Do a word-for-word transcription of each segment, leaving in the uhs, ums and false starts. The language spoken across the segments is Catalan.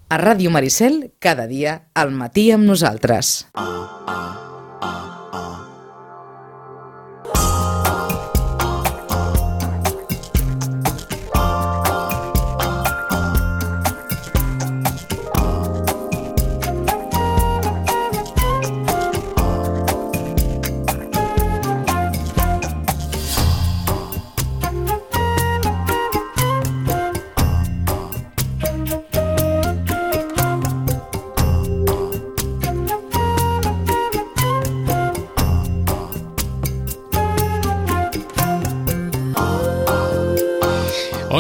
A Ràdio Maricel, cada dia, al matí amb nosaltres.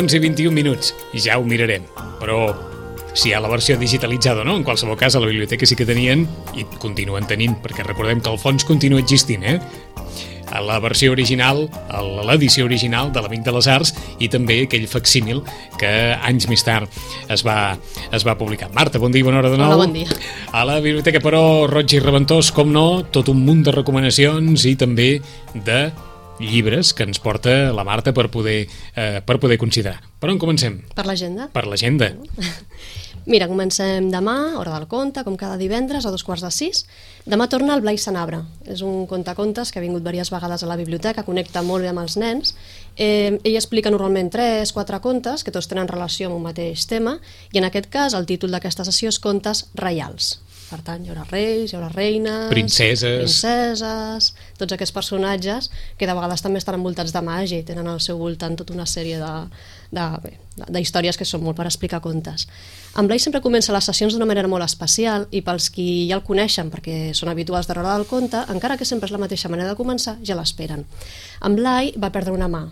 onze i vint-i-un minuts, i ja ho mirarem, però si hi ha la versió digitalitzada o no, en qualsevol cas a la biblioteca sí que tenien i continuen tenint, perquè recordem que el fons continua existint, eh? A la versió original, a l'edició original de l'Amic de les Arts i també aquell facsímil que anys més tard es va, es va publicar. Marta, bon dia i bona hora de nou. Hola, bon dia. A la biblioteca, però, Roig i Reventós, com no, tot un munt de recomanacions i també de llibres que ens porta la Marta per poder, eh, per poder considerar. Per on comencem? Per l'agenda. Per l'agenda. Mira, comencem demà, hora del conte, com cada divendres, a dos quarts de sis. Demà torna el Blai Sanabra. És un contacontes que ha vingut diverses vegades a la biblioteca, connecta molt bé amb els nens. Eh, ell explica normalment tres, quatre contes, que tots tenen relació amb un mateix tema, i en aquest cas el títol d'aquesta sessió és Contes reials. Per tant, hi haurà reis, hi haurà reines, princeses, princeses, tots aquests personatges que de vegades també estan envoltats de màgia i tenen al seu voltant tota una sèrie de, de, bé, de històries que són molt per explicar contes. En Blai sempre comença les sessions d'una manera molt especial i pels qui ja el coneixen perquè són habituals de l'hora del conte, encara que sempre és la mateixa manera de començar, ja l'esperen. En Blai va perdre una mà.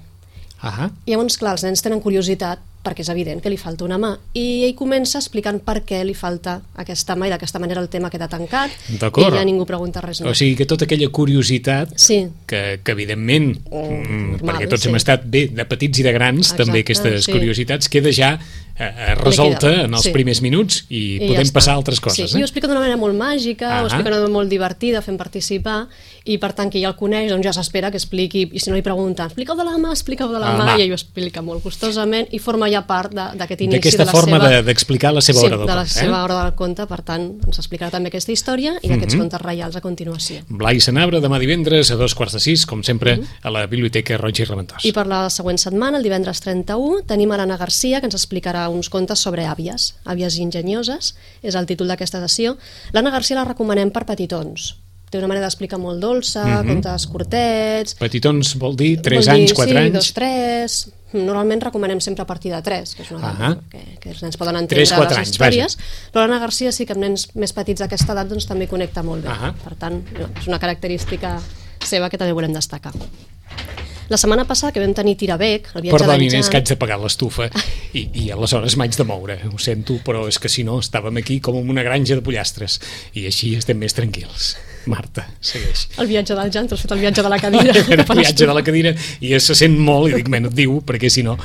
Ahà. I llavors, clar, els nens tenen curiositat perquè és evident que li falta una mà i ell comença explicant per què li falta aquesta mà i d'aquesta manera el tema queda tancat i ja ningú pregunta res més. O sigui que tota aquella curiositat sí. que, que evidentment oh, mm, normal, perquè tots sí. hem estat bé de petits i de grans, exacte, també aquestes sí. curiositats queda ja eh, resolta en els sí. primers minuts i, I podem ja passar a altres coses. Sí. Eh? I ho explica d'una manera molt màgica, ah, ho explica d'una manera molt divertida, fent participar i per tant qui ja el coneix doncs ja s'espera que expliqui i si no li pregunten, explica-ho de la mà, explica-ho de la ah, mà mà. i ell ho explica molt gustosament i forma ja part d'aquest inici d'aquesta de la forma seva... d'explicar la seva sí, hora del conte. de la conte. seva eh? hora del conte, per tant ens explicarà també aquesta història i d'aquests mm -hmm. contes reials a continuació. Blai Sanabra, demà divendres a dos quarts de sis, com sempre, mm -hmm. a la Biblioteca Roig i Reventós. I per la següent setmana, el divendres trenta-u, tenim a l'Anna Garcia, que ens explicarà uns contes sobre àvies, àvies enginyoses, és el títol d'aquesta sessió. L'Anna Garcia la recomanem per petitons. Té una manera d'explicar molt dolça, mm -hmm. contes curtets... Petitons vol dir tres vol dir, anys, quatre sí, anys? dos, tres... Normalment recomanem sempre a partir de tres, que és una edat ah que, que els nens poden entendre les anys, històries, vaja. però l'Anna Garcia sí que amb nens més petits d'aquesta edat doncs, també connecta molt bé. Ah per tant, no, és una característica seva que també volem destacar. La setmana passada que vam tenir Tirabec, el viatge Perdoni, d'en Jan... és que haig de pagar l'estufa i, i aleshores m'haig de moure, ho sento, però és que si no estàvem aquí com en una granja de pollastres i així estem més tranquils. Marta, segueix. El viatge del Jan, t'has fet el viatge de la cadira. el viatge de la cadira i se sent molt i dic, menys et diu, perquè si no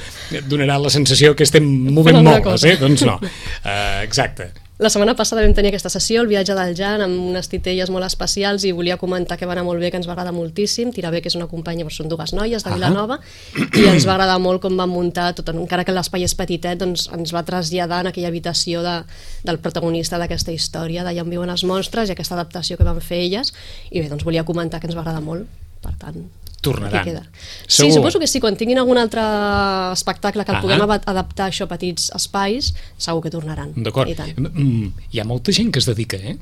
donarà la sensació que estem movent molt, eh? Doncs no. Uh, exacte. La setmana passada vam tenir aquesta sessió, el viatge del Jan, amb unes titelles molt especials i volia comentar que va anar molt bé, que ens va agradar moltíssim. Tirabec és una companya, però són dues noies de Vilanova i ens va agradar molt com van muntar, tot, encara que l'espai és petitet, doncs ens va traslladar en aquella habitació de, del protagonista d'aquesta història, d'allà on viuen els monstres i aquesta adaptació que van fer elles. I bé, doncs volia comentar que ens va agradar molt, per tant... Tornaran. Sí, Segur. suposo que sí, quan tinguin algun altre espectacle que el ah puguem adaptar això a petits espais, segur que tornaran. D'acord. Hi ha molta gent que es dedica, eh?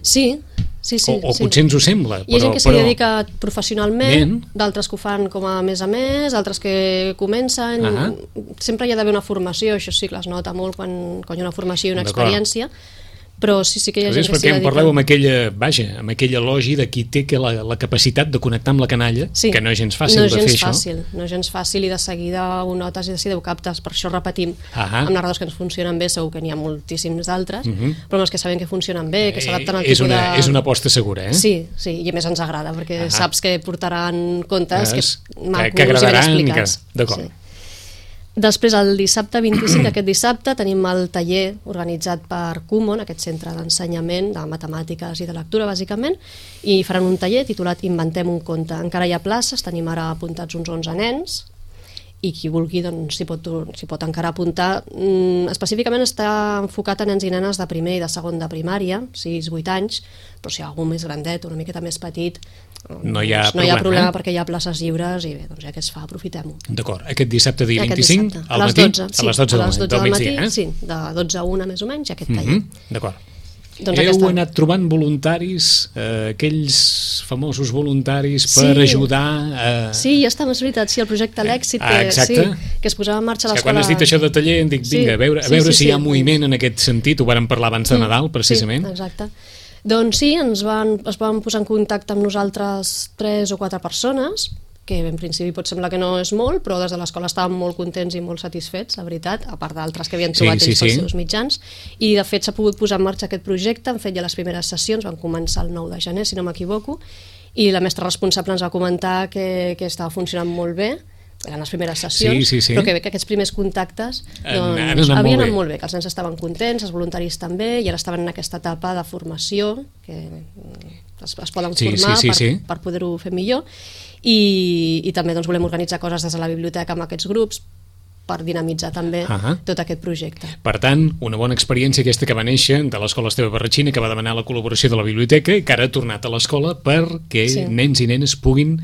Sí, sí, sí. O, o sí. potser ens ho sembla. Hi ha però, gent que s'hi però... dedica professionalment, Ben. d'altres que ho fan com a més a més, altres que comencen. Ah sempre hi ha d'haver una formació, això sí que es nota molt quan, quan hi ha una formació i una experiència, però sí, sí que hi ha gent que s'hi dedica. Perquè em parleu amb aquella, vaja, amb aquell elogi de qui té que la, la capacitat de connectar amb la canalla, sí. que no és gens fàcil no de fer gens això. Fàcil, no és gens fàcil i de seguida ho notes i de seguida ho captes, per això repetim. Ah amb narradors que ens funcionen bé, segur que n'hi ha moltíssims d'altres, uh -huh. però amb els que sabem que funcionen bé, que s'adapten al és tipus una, de... És una aposta segura, eh? Sí, sí, i a més ens agrada, perquè ah saps que portaran contes és, que macos que agradaran i ben explicats. Que... D'acord. Sí. Després, el dissabte vint-i-cinc, aquest dissabte, tenim el taller organitzat per Kumon, aquest centre d'ensenyament de matemàtiques i de lectura, bàsicament, i faran un taller titulat Inventem un conte. Encara hi ha places, tenim ara apuntats uns onze nens, i qui vulgui doncs, s'hi pot, s'hi pot encara apuntar. Mm, específicament està enfocat a nens i nenes de primer i de segon de primària, sis vuit anys, però si hi ha algú més grandet, una miqueta més petit, no hi ha doncs, no problema, hi ha problema eh? perquè hi ha places lliures i bé, doncs ja que es fa, aprofitem-ho. D'acord, aquest dissabte dia Aquest vint-i-cinc, dissabte, al a les matí, dotze, sí, a les dotze, a les dotze del, del migdia, matí, eh? sí, de dotze a una més o menys, aquest taller. Mm -hmm, d'acord. Doncs Heu aquesta... anat trobant voluntaris, eh, aquells famosos voluntaris per Sí. ajudar a... Sí, ja està, és veritat, sí, el projecte L'Èxit, Ah, que, exacte. sí, que es posava en marxa a És que l'escola... quan has dit això de taller em dic, vinga, a veure, a Sí, veure sí, si sí, hi ha sí. moviment en aquest sentit, ho vàrem parlar abans de Nadal, precisament. Sí, exacte. Doncs sí, ens van, es van posar en contacte amb nosaltres tres o quatre persones, que en principi pot semblar que no és molt, però des de l'escola estàvem molt contents i molt satisfets, la veritat, a part d'altres que havien trobat Sí, sí, ells pels sí. seus mitjans, i de fet s'ha pogut posar en marxa aquest projecte, han fet ja les primeres sessions, van començar el nou de gener, si no m'equivoco, i la mestra responsable ens va comentar que, que estava funcionant molt bé, eren les primeres sessions, Sí, sí, sí. però que bé que aquests primers contactes Han- doncs, han anat molt havien bé. anat molt bé, que els nens estaven contents, els voluntaris també, i ara estaven en aquesta etapa de formació, que es, es poden Sí, formar sí, sí, per, sí. per poder-ho fer millor, i, i també doncs, volem organitzar coses des de la biblioteca amb aquests grups per dinamitzar també Ahà. tot aquest projecte. Per tant, una bona experiència aquesta que va néixer de l'Escola Esteve Barratxina, que va demanar la col·laboració de la biblioteca i que ara ha tornat a l'escola perquè Sí. nens i nenes puguin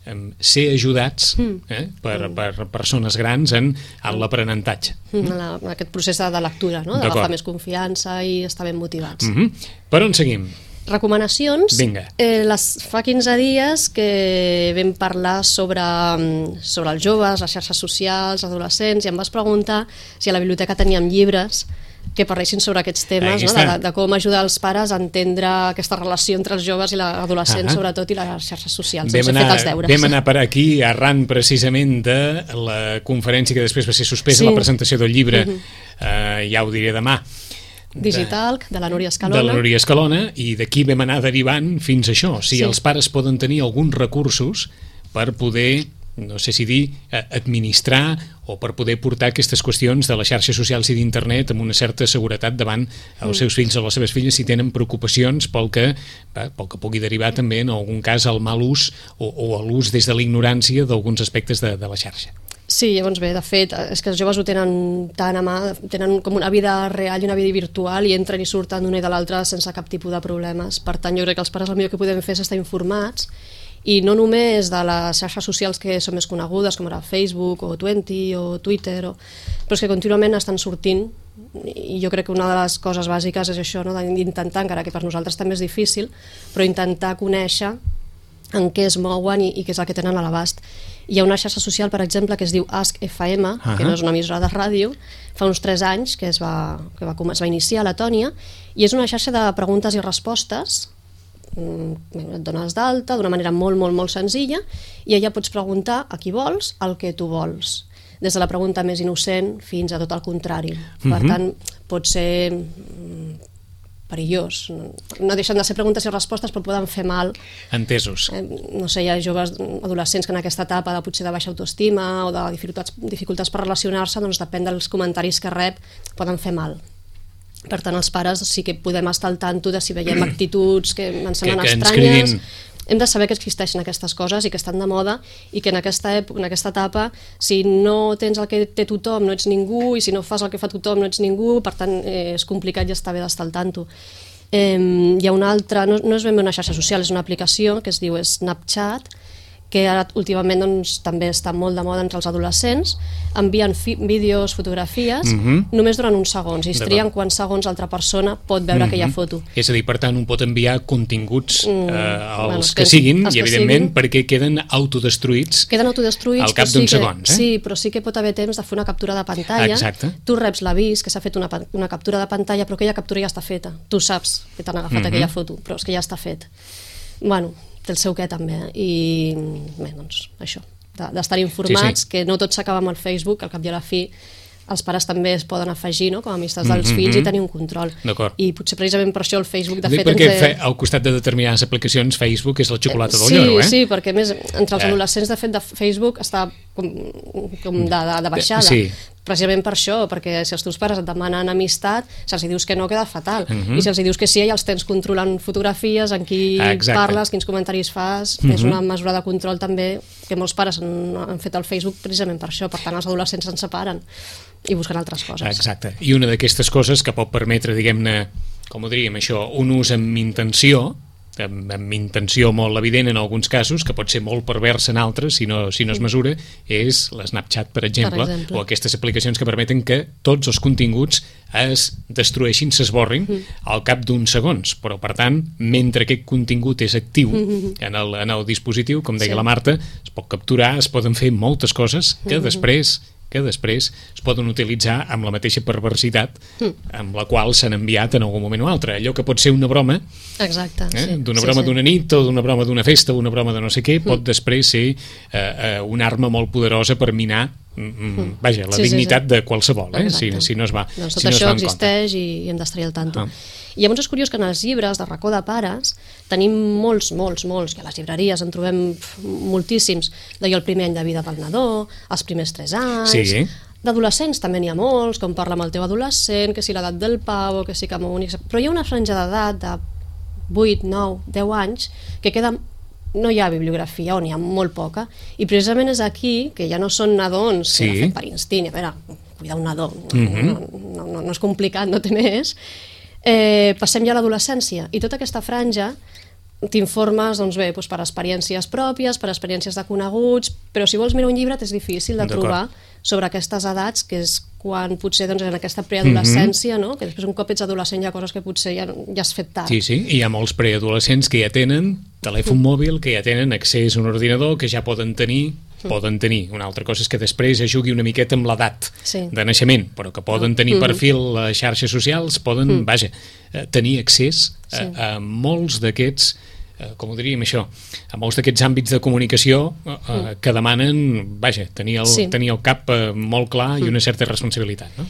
em, ser ajudats eh, per, per persones grans en, en l'aprenentatge. En, la, en aquest procés de, de lectura, no? D'acord. D'agafar més confiança i estar ben motivats. Mm -hmm. Per on seguim? Recomanacions. Vinga. Eh, les, fa quinze dies que vam parlar sobre, mm, sobre els joves, les xarxes socials, adolescents, i em vas preguntar si a la biblioteca teníem llibres que parlessin sobre aquests temes, Aquí no? està. de, de com ajudar els pares a entendre aquesta relació entre els joves i l'adolescent, Ah. sobretot, i les xarxes socials. Vam Doncs he fet anar, els deures. vam anar per aquí arran precisament de la conferència que després va ser suspesa, Sí. la presentació del llibre, eh, ja ho diré demà, Digital, de la Núria Escalona. de la Núria Escalona, i d'aquí vam anar derivant fins a això, si Sí. els pares poden tenir alguns recursos per poder, no sé si dir, eh, administrar o per poder portar aquestes qüestions de les xarxes socials i d'internet amb una certa seguretat davant els seus fills o les seves filles si tenen preocupacions pel que, bé, pel que pugui derivar també en algun cas al mal ús o, o a l'ús des de la ignorància d'alguns aspectes de, de la xarxa. Sí, llavors bé, de fet, és que els joves ho tenen tan a mà, tenen com una vida real i una vida virtual i entren i surten d'una i de l'altra sense cap tipus de problemes. Per tant, jo crec que els pares el millor que podem fer és estar informats, i no només de les xarxes socials que són més conegudes, com ara Facebook o Twenty o Twitter, o... però és que contínuament estan sortint, i jo crec que una de les coses bàsiques és això, no? D'intentar, encara que per nosaltres també és difícil, però intentar conèixer en què es mouen i, i què és el que tenen a l'abast. Hi ha una xarxa social, per exemple, que es diu Ask F M, uh-huh. que no és una emissora de ràdio, fa uns tres anys que es va, que va, es va iniciar a Letònia, i és una xarxa de preguntes i respostes. Et dones d'alta d'una manera molt, molt, molt senzilla, i allà pots preguntar a qui vols el que tu vols, des de la pregunta més innocent fins a tot el contrari. Per Uh-huh. tant, pot ser perillós. No deixen de ser preguntes i respostes, però poden fer mal. Entesos. Eh, no sé, hi ha joves adolescents que en aquesta etapa de potser de baixa autoestima o de dificultats, dificultats per relacionar-se, doncs depèn dels comentaris que rep, poden fer mal. Per tant, els pares sí que podem estar al tanto de si veiem actituds que ens semblen que, que ens estranyes. cridin. Hem de saber que existeixen aquestes coses i que estan de moda, i que en aquesta, època, en aquesta etapa, si no tens el que té tothom, no ets ningú, i si no fas el que fa tothom, no ets ningú. Per tant, eh, és complicat i està bé d'estar al tanto. Eh, hi ha una altra, no, no és ben bé una xarxa social, és una aplicació que es diu Snapchat, que ara últimament doncs, també està molt de moda entre els adolescents. Envien fi vídeos, fotografies, Mhm. només durant uns segons, i es trien quants segons l'altra persona pot veure aquella foto. És a dir, per tant, un pot enviar continguts eh, bueno, els els que que- siguin, els i que evidentment siguin. perquè queden autodestruïts. Queden autodestruïts, Al cap però d'uns sí que, segons, eh? Sí, però sí que pot haver temps de fer una captura de pantalla. Exacte. Tu reps l'avís que s'ha fet una, pa- una captura de pantalla, però aquella captura ja està feta. Tu saps que t'han agafat Mhm. aquella foto, però és que ja està fet. Bueno, té el seu què també, eh? I bé, doncs això, de- d'estar informats, Sí, sí. que no tot s'acaba amb el Facebook, al cap i a la fi els pares també es poden afegir, no?, com a amistats dels Mhm. fills, i tenir un control. D'acord. I potser precisament per això el Facebook, de Dic fet... perquè ens, fe, al costat de determinades aplicacions Facebook és la xocolata del sí, lloro, eh? Sí, perquè a més entre els Eh. adolescents, de fet, de Facebook està com, com de, de, de baixada. Sí. precisament per això, perquè si els teus pares et demanen amistat, si els dius que no, queda fatal. Uh-huh. I si els dius que sí, ja els tens controlant fotografies, en qui Exacte. parles, quins comentaris fas, uh-huh. és una mesura de control també que molts pares han, han fet al Facebook precisament per això, per tant els adolescents se'n separen i busquen altres coses. Exacte, i una d'aquestes coses que pot permetre, diguem-ne, com ho diríem això, un ús amb intenció, amb, amb intenció molt evident en alguns casos, que pot ser molt pervers en altres si no, si no es mesura, és l'Snapchat, per exemple, per exemple, o aquestes aplicacions que permeten que tots els continguts es destrueixin, s'esborrin mm. al cap d'uns segons, però per tant, mentre aquest contingut és actiu mm-hmm. en, el, en el dispositiu, com deia sí. la Marta, es pot capturar, es poden fer moltes coses que mm-hmm. després que després es poden utilitzar amb la mateixa perversitat mm. amb la qual s'han enviat en algun moment o altre. Allò que pot ser una broma, exacte, eh? sí. d'una sí, broma sí. d'una nit o d'una broma d'una festa o una broma de no sé què, pot mm. després ser eh, eh, una arma molt poderosa per minar mm, vaja, la sí, dignitat sí, sí. de qualsevol, eh? si, si no es va doncs tot si no això es va en existeix i, i hem d'estar al tanto. Ah. I llavors és curiós que en els llibres de racó de pares tenim molts, molts, molts, que a les llibreries en trobem moltíssims, d'allò el primer any de vida del nadó, els primers tres anys, sí. d'adolescents també n'hi ha molts, com parla amb el teu adolescent, que si l'edat del pavo, que si que únic... Però hi ha una franja d'edat de vuit, nou, deu anys que queda... no hi ha bibliografia o n'hi ha molt poca, i precisament és aquí que ja no són nadons sí. que han fet per instint, a veure, cuidar un nadó mm-hmm. no, no, no, no és complicat, no té més, eh, passem ja a l'adolescència, i tota aquesta franja t'informes doncs bé, doncs per experiències pròpies, per experiències de coneguts, però si vols mirar un llibre és difícil de trobar sobre aquestes edats, que és quan potser doncs, en aquesta preadolescència, mm-hmm. no? Que després un cop ets adolescent hi ha coses que potser ja, ja has fet tard. Sí, sí, i hi ha molts preadolescents que ja tenen telèfon mm. mòbil, que ja tenen accés a un ordinador, que ja poden tenir mm. poden tenir. Una altra cosa és que després es jugui una miqueta amb l'edat sí. de naixement, però que poden tenir mm. perfil a xarxes socials, poden, mm. vaja, tenir accés a, sí. a molts d'aquests com ho diríem això, a molts d'aquests àmbits de comunicació eh, mm. que demanen, vaja, tenir el, sí. tenir el cap eh, molt clar mm. i una certa responsabilitat, no?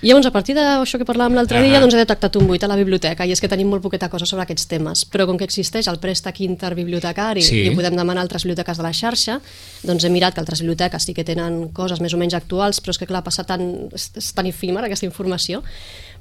I llavors, a partir d'això que parlàvem l'altre dia, doncs he detectat un buit a la biblioteca, i és que tenim molt poqueta cosa sobre aquests temes, però com que existeix el préstec interbibliotecari sí. i ho podem demanar a altres biblioteques de la xarxa, doncs he mirat que altres biblioteques sí que tenen coses més o menys actuals, però és que clar, passa tan, és tan efímer aquesta informació.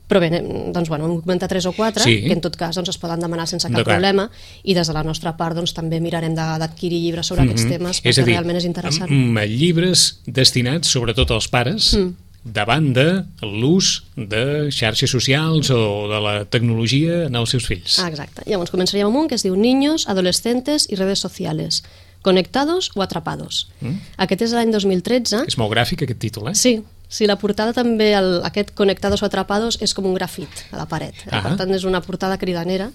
Però bé, doncs, bueno, hem comentat tres o quatre, sí. que en tot cas doncs, es poden demanar sense cap problema, i des de la nostra part doncs, també mirarem d'adquirir llibres sobre mm-hmm. aquests temes, perquè és dir, realment és interessant. Amb llibres destinats sobretot als pares, mm. davant de l'ús de xarxes socials o de la tecnologia en els seus fills. Ah, exacte. Llavors començaríem amb un que es diu Niños, Adolescentes y Redes Sociales, Conectados o Atrapados. Mm. Aquest és l'any dos mil tretze. És molt gràfic aquest títol, eh? Sí. Sí, la portada també, el, aquest Conectados o Atrapados, és com un grafit a la paret. Eh? Per tant, és una portada cridanera.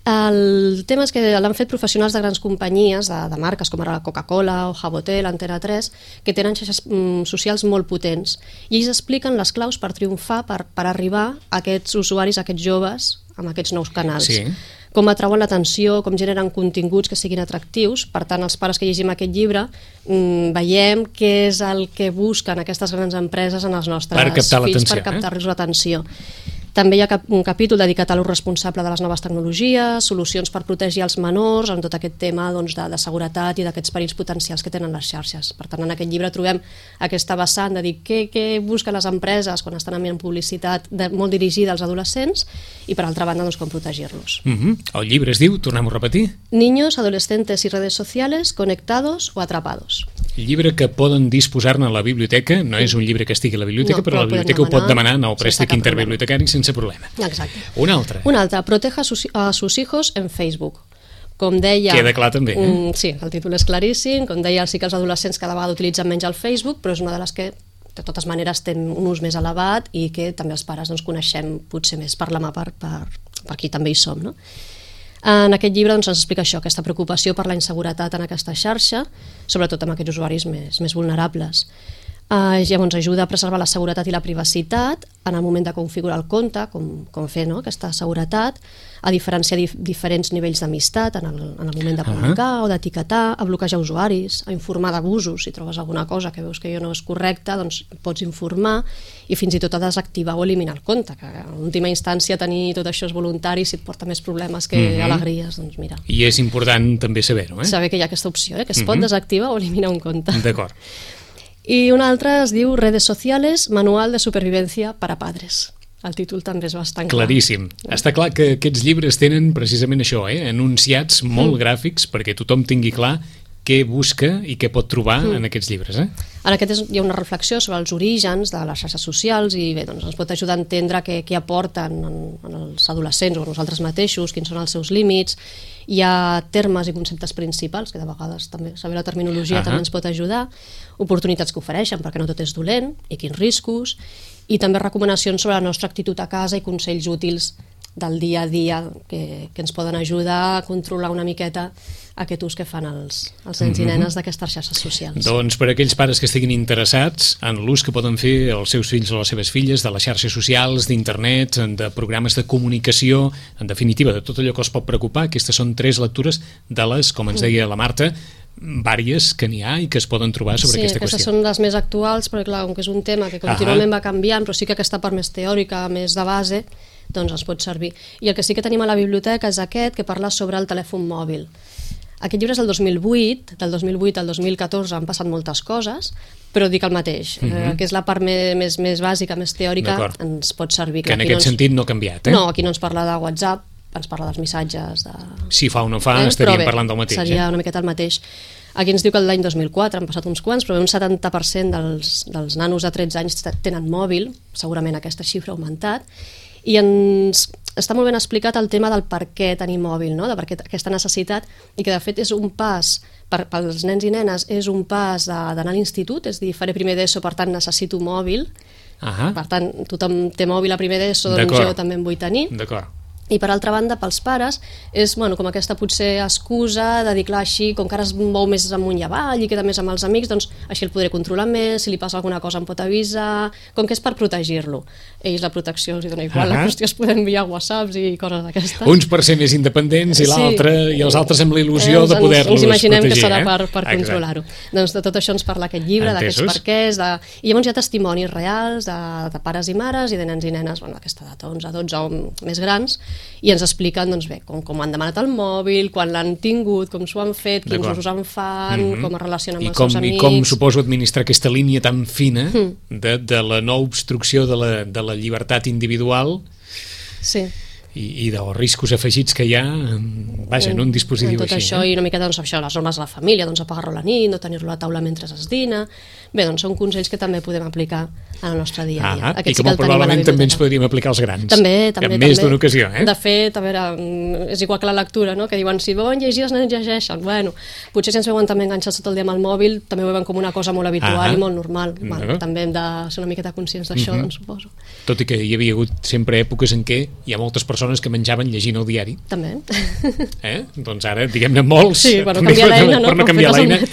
El tema és que l'han fet professionals de grans companyies, de, de marques com ara Coca-Cola o Jabotel, Antena tres, que tenen xarxes mm, socials molt potents. I ells expliquen les claus per triomfar, per, per arribar a aquests usuaris, a aquests joves, amb aquests nous canals. Sí. Com atrauen l'atenció, com generen continguts que siguin atractius. Per tant, els pares que llegim aquest llibre mmm, veiem què és el que busquen aquestes grans empreses en els nostres fills per captar-los eh? l'atenció. També hi ha cap, un capítol dedicat a l'ús responsable de les noves tecnologies, solucions per protegir els menors, en tot aquest tema doncs, de, de seguretat i d'aquests perills potencials que tenen les xarxes. Per tant, en aquest llibre trobem aquesta vessant de dir què, què busquen les empreses quan estan enviant publicitat de, molt dirigida als adolescents i, per altra banda, doncs, com protegir-los. Mm-hmm. El llibre es diu, tornem a repetir? Niños, Adolescentes y Redes Sociales, Conectados o Atrapados. El llibre que poden disposar-ne a la biblioteca, no és un llibre que estigui a la biblioteca, no, però, però la biblioteca ho pot demanar en el préstec interbibliotecari sense problema. Exacte. Un altre. Un altre, Proteja a sus, a sus hijos en Facebook. Com deia... Queda clar també, eh? Um, sí, el títol és claríssim. Com deia, sí que els adolescents cada vegada utilitzen menys el Facebook, però és una de les que, de totes maneres, té un ús més elevat i que també els pares doncs, coneixem potser més per la mà per, per, per qui també hi som, no? En aquest llibre doncs, ens explica això, aquesta preocupació per la inseguretat en aquesta xarxa, sobretot amb aquests usuaris més, més vulnerables. Uh, llavors ajuda a preservar la seguretat i la privacitat en el moment de configurar el compte, com, com fer no? aquesta seguretat, a diferenciar dif diferents nivells d'amistat en, el, en el moment de publicar uh -huh. o d'etiquetar, a bloquejar usuaris, a informar d'abusos. Si trobes alguna cosa que veus que no és correcta, doncs pots informar, i fins i tot a desactivar o eliminar el compte, que en última instància tenir tot això és voluntari, si et porta més problemes que uh -huh. alegries, doncs mira. I és important també saber-ho, eh? Saber que hi ha aquesta opció, eh? que es uh -huh. pot desactivar o eliminar un compte. D'acord. I un altre es diu Redes Sociales, Manual de Supervivencia para Padres. El títol també és bastant clar. Claríssim. Està clar que aquests llibres tenen precisament això, eh? Enunciats molt mm. gràfics perquè tothom tingui clar què busca i què pot trobar mm. en aquests llibres. Eh? En aquest és, hi ha una reflexió sobre els orígens de les xarxes socials i bé, doncs ens pot ajudar a entendre què, què aporten en, en els adolescents o a nosaltres mateixos, quins són els seus límits. Hi ha termes i conceptes principals, que de vegades també saber la terminologia uh-huh. també ens pot ajudar, oportunitats que ofereixen, perquè no tot és dolent, i quins riscos, i també recomanacions sobre la nostra actitud a casa i consells útils del dia a dia que, que ens poden ajudar a controlar una miqueta aquest ús que fan els, els nens mm-hmm. i nenes d'aquestes xarxes socials. Doncs per aquells pares que estiguin interessats en l'ús que poden fer els seus fills o les seves filles de les xarxes socials, d'internet, de programes de comunicació, en definitiva, de tot allò que els pot preocupar, aquestes són tres lectures de les, com ens deia la Marta, vàries que n'hi ha i que es poden trobar sobre sí, aquesta qüestió. Sí, aquestes són les més actuals, perquè clar, com que és un tema que contínuament va canviant, però sí que aquesta part més teòrica, més de base, doncs ens pot servir. I el que sí que tenim a la biblioteca és aquest, que parla sobre el telèfon mòbil. Aquest llibre és del dos mil vuit, del dos mil vuit al dos mil catorze han passat moltes coses, però dic el mateix, uh-huh. eh, que és la part més, més, més bàsica, més teòrica, ens pot servir. Que en aquest no ens... sentit no ha canviat, eh? No, aquí no ens parla de WhatsApp, ens parla dels missatges de... Si fa o no fa, eh? estaríem bé, parlant del mateix. Seria eh? una miqueta el mateix. Aquí ens diu que l'any dos mil quatre han passat uns quants, però un setanta per cent dels, dels nanos de tretze anys tenen mòbil, segurament aquesta xifra ha augmentat, i ens està molt ben explicat el tema del per què tenir mòbil, no? De per què aquesta necessitat, i que de fet és un pas, per, pels nens i nenes, és un pas d'anar a l'institut, és a dir, faré primer d'ESO, per tant necessito mòbil, uh-huh. per tant tothom té mòbil a primer d'ESO, doncs jo també en vull tenir. D'acord. I per altra banda, pels pares, és bueno, com aquesta potser excusa de dir, clar, així, com que ara es mou més amunt i avall i queda més amb els amics, doncs així el podré controlar més, si li passa alguna cosa em pot avisar, com que és per protegir-lo. Ells la protecció els dona igual, uh-huh. la qüestió es poden enviar whatsapps i coses d'aquestes. Uns per ser més independents i l'altre, sí. i els altres amb la il·lusió eh, de poder-los protegir. Ens imaginem protegir, que serà eh? per, per controlar-ho. Doncs de tot això ens parla aquest llibre, d'aquests perquès, de... i llavors hi ha testimonis reals de, de pares i mares i de nens i nenes, bueno, aquesta edat, onze, dotze o més grans, i ens explica doncs bé, com, com han demanat el mòbil, quan l'han tingut, com s'ho han fet, quins usos en fan, mm-hmm. com es relacionen amb I els com, seus amics... I com suposo administrar aquesta línia tan fina mm. de, de la no obstrucció de la, de la llibertat individual sí. i, i dels riscos afegits que hi ha vaja, en un dispositiu tot així. Això, eh? i una mica doncs, això, les normes de la família, doncs apagar-lo a la nit, no tenir-lo a la taula mentre es dina... Bé, doncs són consells que també podem aplicar en el nostre dia a dia. Ah, i que molt probablement també ens podríem aplicar als grans. També, també. En més d'una ocasió, eh? De fet, a veure, és igual que la lectura, no? Que diuen, si veuen llegir, els nens llegeixen. Bueno, potser si ens veuen també enganxats tot el dia amb el mòbil, també ho veuen com una cosa molt habitual ah, i molt normal. Bueno, també hem de ser una miqueta conscients d'això, uh-huh. doncs suposo. Tot i que hi havia hagut sempre èpoques en què hi ha moltes persones que menjaven llegint el diari. També. Eh? Doncs ara, diguem-ne, molts... Sí, per no canviar l'eina, no? Per no canviar l'eina,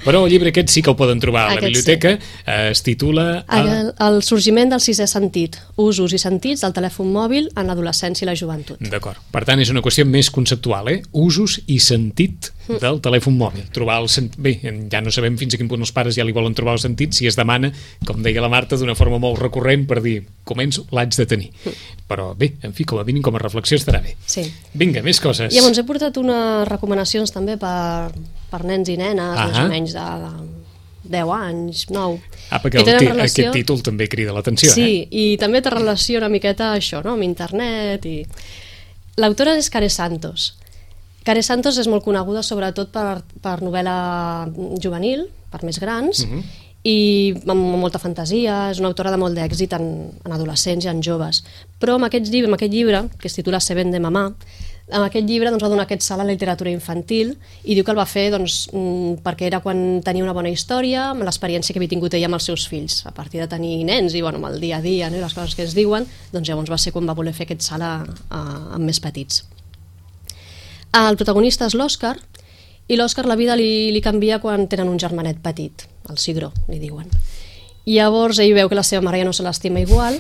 però el llibre aquest sí que el poden trobar a la biblioteca. Sí. Es titula... El, el sorgiment del sisè sentit, usos i sentits del telèfon mòbil en l'adolescència i la joventut. D'acord. Per tant, és una qüestió més conceptual, eh? Usos i sentit del telèfon mòbil. Trobar el sentit... Bé, ja no sabem fins a quin punt els pares ja li volen trobar el sentit, si es demana, com deia la Marta, d'una forma molt recurrent per dir, començo, l'haig de tenir. Però bé, en fi, com a mínim, com a reflexió estarà bé. Sí. Vinga, més coses. I llavors he portat unes recomanacions també per, per nens i nenes, ah, més o menys de... de deu anys, nou. Ah, perquè el relació... aquest títol també crida l'atenció, sí, eh? Sí, i també té relació una miqueta això, no?, amb internet i... L'autora és Care Santos. Care Santos és molt coneguda sobretot per, per novel·la juvenil, per més grans, uh-huh. i amb molta fantasia, és una autora de molt d'èxit en, en adolescents i en joves. Però amb aquest llibre, amb aquest llibre que es titula Se vende mamà, amb aquest llibre doncs, va donar aquest salt a la literatura infantil i diu que el va fer doncs, perquè era quan tenia una bona història, amb l'experiència que havia tingut ella amb els seus fills, a partir de tenir nens i bueno, amb el dia a dia, no? I les coses que es diuen, doncs llavors va ser quan va voler fer aquest salt a, a, amb més petits. El protagonista és l'Òscar, i l'Òscar la vida li, li canvia quan tenen un germanet petit, el Cigró, li diuen. I llavors ell veu que la seva mare ja no se l'estima igual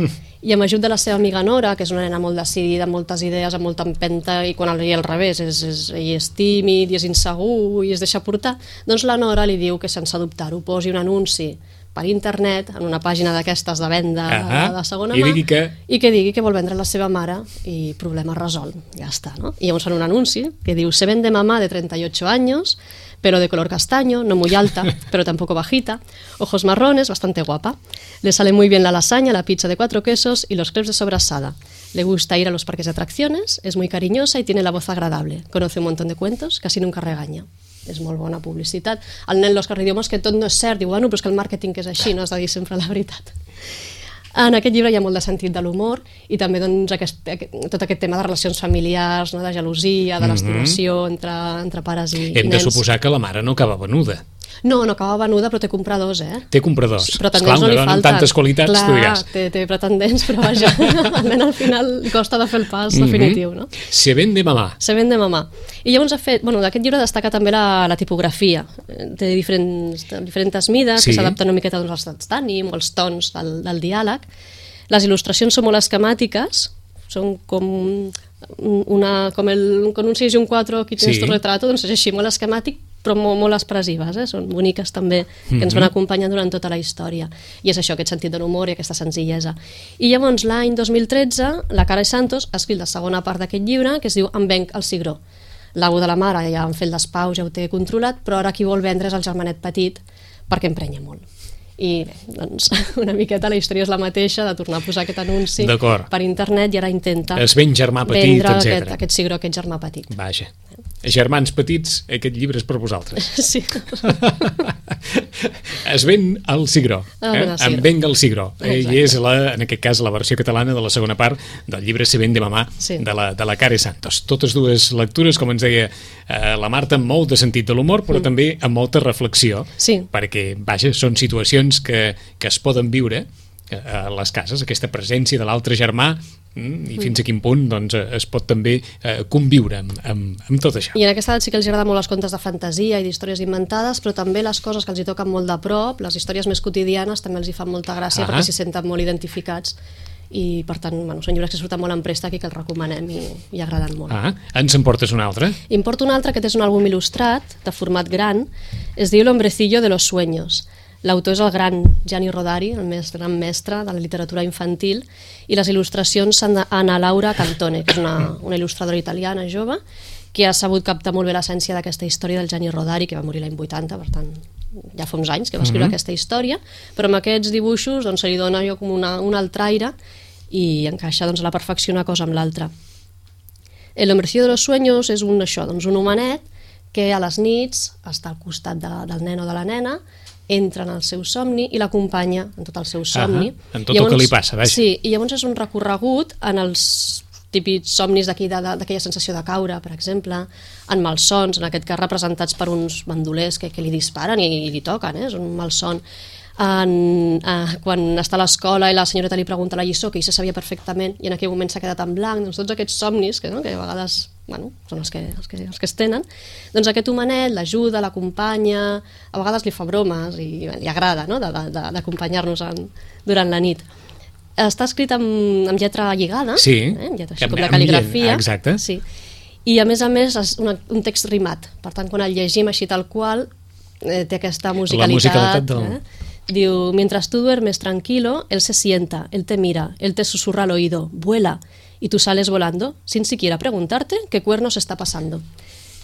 i amb ajut de la seva amiga Nora, que és una nena molt decidida, amb moltes idees, amb molta empenta, i quan ell al revés, és, és, ell és tímid i és insegur i es deixa portar, doncs la Nora li diu que sense dubtar-ho posi un anunci per internet, en una pàgina d'aquestes de venda ah, de segona i mà, digui que... i que digui que vol vendre la seva mare i problema resolt, ja està, ¿no? I llavors fan un anunci que diu: se vende mamá de treinta y ocho años, pero de color castaño, no muy alta, pero tampoco bajita, ojos marrones, bastante guapa. Le sale muy bien la lasaña, la pizza de cuatro quesos y los crepes de sobrasada. Le gusta ir a los parques de atracciones, es muy cariñosa y tiene la voz agradable. Conoce un montón de cuentos, casi nunca regaña. És molt bona publicitat. El nen l'Òscar li diu: és que tot no és cert. Diu: bueno, però és que el màrqueting és així, no has de dir sempre la veritat. En aquest llibre hi ha molt de sentit de l'humor i també doncs, aquest, aquest, tot aquest tema de relacions familiars, no? De gelosia, de l'estimació entre, entre pares i, Hem i nens. de suposar que la mare no acaba venuda. No, no acaba venuda, però té compradors, eh? Té compradors. Sí, pretendents Esclar, no li una dona falten. amb tantes qualitats, Clar, tu diràs. Té, té pretendents, però vaja, al nen al final costa de fer el pas definitiu, no? Se vende mamà. Se vende mamà. I llavors ha fet, bueno, d'aquest llibre destaca també la, la tipografia. Té diferents, diferents mides, Sí. que s'adapten una miqueta doncs, als estats d'ànim o als tons del, del diàleg. Les il·lustracions són molt esquemàtiques, són com una, com el, con un seis i un quatre, aquí tens Sí. tu retrato, doncs és així, molt esquemàtic, però molt, molt expressives, eh? Són boniques també, que ens van acompanyar durant tota la història. I és això, aquest sentit de l'humor i aquesta senzillesa. I llavors, l'any dos mil tretze, la Cara Santos ha escrit la segona part d'aquest llibre, que es diu Em venc el cigró. L'au de la mare ja han fet les paus, ja ho té controlat, però ara qui vol vendre és el germanet petit, perquè emprenya molt. I bé, doncs, una miqueta la història és la mateixa, de tornar a posar aquest anunci per internet i ara intenta Es ven germà petit, vendre etcètera. aquest, aquest cigró, aquest germà petit. Vaja. Germans petits, aquest llibre és per vosaltres. Sí. Es ven el cigró. Ah, Eh? el cigró. Em venga el cigró. Eh, Exacte. I és, la, en aquest cas, la versió catalana de la segona part del llibre Se vende mamà, Sí. de, la, de la Cara Santos. Totes dues lectures, com ens deia eh, la Marta, amb molt de sentit de l'humor, però mm. també amb molta reflexió, Sí. perquè, vaja, són situacions que, que es poden viure a les cases, aquesta presència de l'altre germà, mm, i fins a quin punt doncs, es pot també eh, conviure amb, amb, amb tot això. I en aquesta edat sí que els agrada molt els contes de fantasia i d'històries inventades, però també les coses que els hi toquen molt de prop, les històries més quotidianes, també els hi fan molta gràcia Ah. perquè s'hi senten molt identificats i, per tant, bueno, són llibres que surten molt en préstec i que els recomanem i, i agraden molt. Ah, ens en portes un altre? I em porto un altre, que és un àlbum il·lustrat, de format gran, es diu L'hombrecillo de los sueños. L'autor és el gran Gianni Rodari, el més gran mestre de la literatura infantil, i les il·lustracions són d'Anna Laura Cantone, que és una, una il·lustradora italiana jove, que ha sabut captar molt bé l'essència d'aquesta història del Gianni Rodari, que va morir l'any vuitanta, per tant, ja fa uns anys que va escriure mm-hmm. aquesta història, però amb aquests dibuixos doncs, se li dona jo com una, un altre aire i encaixa doncs, a la perfecció una cosa amb l'altra. El Hombrecillo de los Sueños és un, això, doncs, un homenet que a les nits està al costat de, del nen o de la nena, entra en el seu somni i l'acompanya en tot el seu somni. Ah, en tot llavors, el que li passa, vaja. Sí, i llavors és un recorregut en els típics somnis d'aquella sensació de caure, per exemple, en malsons, en aquest cas representats per uns bandolers que, que li disparen i, i li toquen, eh? És un malson. En, eh, quan està a l'escola i la senyoreta li pregunta la lliçó, que ell se sabia perfectament i en aquell moment s'ha quedat en blanc, doncs tots aquests somnis que, no, que a vegades bueno, són els que, els, que, els que es tenen, doncs aquest homenet l'ajuda, l'acompanya, a vegades li fa bromes i li agrada, no?, d'acompanyar-nos durant la nit. Està escrit amb, amb lletra lligada, sí, eh? amb lletra així amb, com la cal·ligrafia, exacte. Sí. I a més a més és una, un text rimat, per tant quan el llegim així tal qual eh, té aquesta musicalitat, la musicalitat del... eh? Diu, mientras tú duermes tranquilo, él se sienta, él te mira, él te susurra al oído, vuela, y tú sales volando, sin siquiera preguntarte qué cuernos está pasando.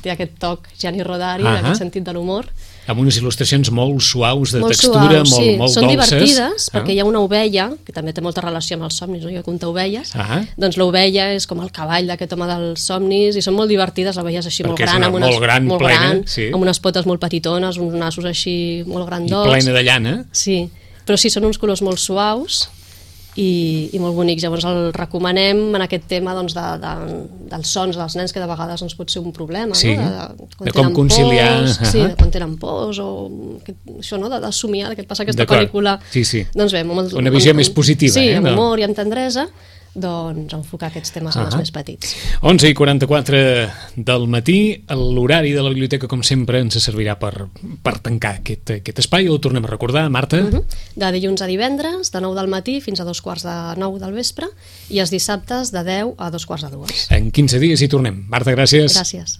Té aquest toc Gianni Rodari, uh-huh. aquest sentit de l'humor. Amb unes il·lustracions molt suaus, de molt textura, suaus, molt, sí. molt Són dolces. Són divertides, ah. perquè hi ha una ovella, que també té molta relació amb els somnis, no? Jo conto ovelles, ah. doncs l'ovella és com el cavall d'aquest home dels somnis, i són molt divertides, l'ovella és així perquè molt gran, amb unes, molt gran, molt plena, gran sí. amb unes potes molt petitones, uns nassos així molt grandots. I plena de llana. Sí, però sí, són uns colors molt suaus, i, i molt bonics. Llavors el recomanem en aquest tema doncs, de, de, dels sons dels nens, que de vegades doncs, pot ser un problema, sí. no? de, de, de com conciliar pors, uh-huh. sí, de quan tenen pors o que, això, no? de, de somiar, que et passa aquesta pel·lícula, sí, sí. doncs bé, amb, una visió amb, més positiva, sí, eh? amb humor i amb tendresa, doncs enfocar aquests temes uh-huh. als més petits. onze i quaranta-quatre del matí, l'horari de la biblioteca, com sempre, ens servirà per, per tancar aquest, aquest espai. Ho tornem a recordar, Marta? Uh-huh. De dilluns a divendres, de nou del matí fins a dos quarts de nou del vespre, i els dissabtes de deu a dos quarts de dues. En quinze dies hi tornem. Marta, gràcies. Gràcies.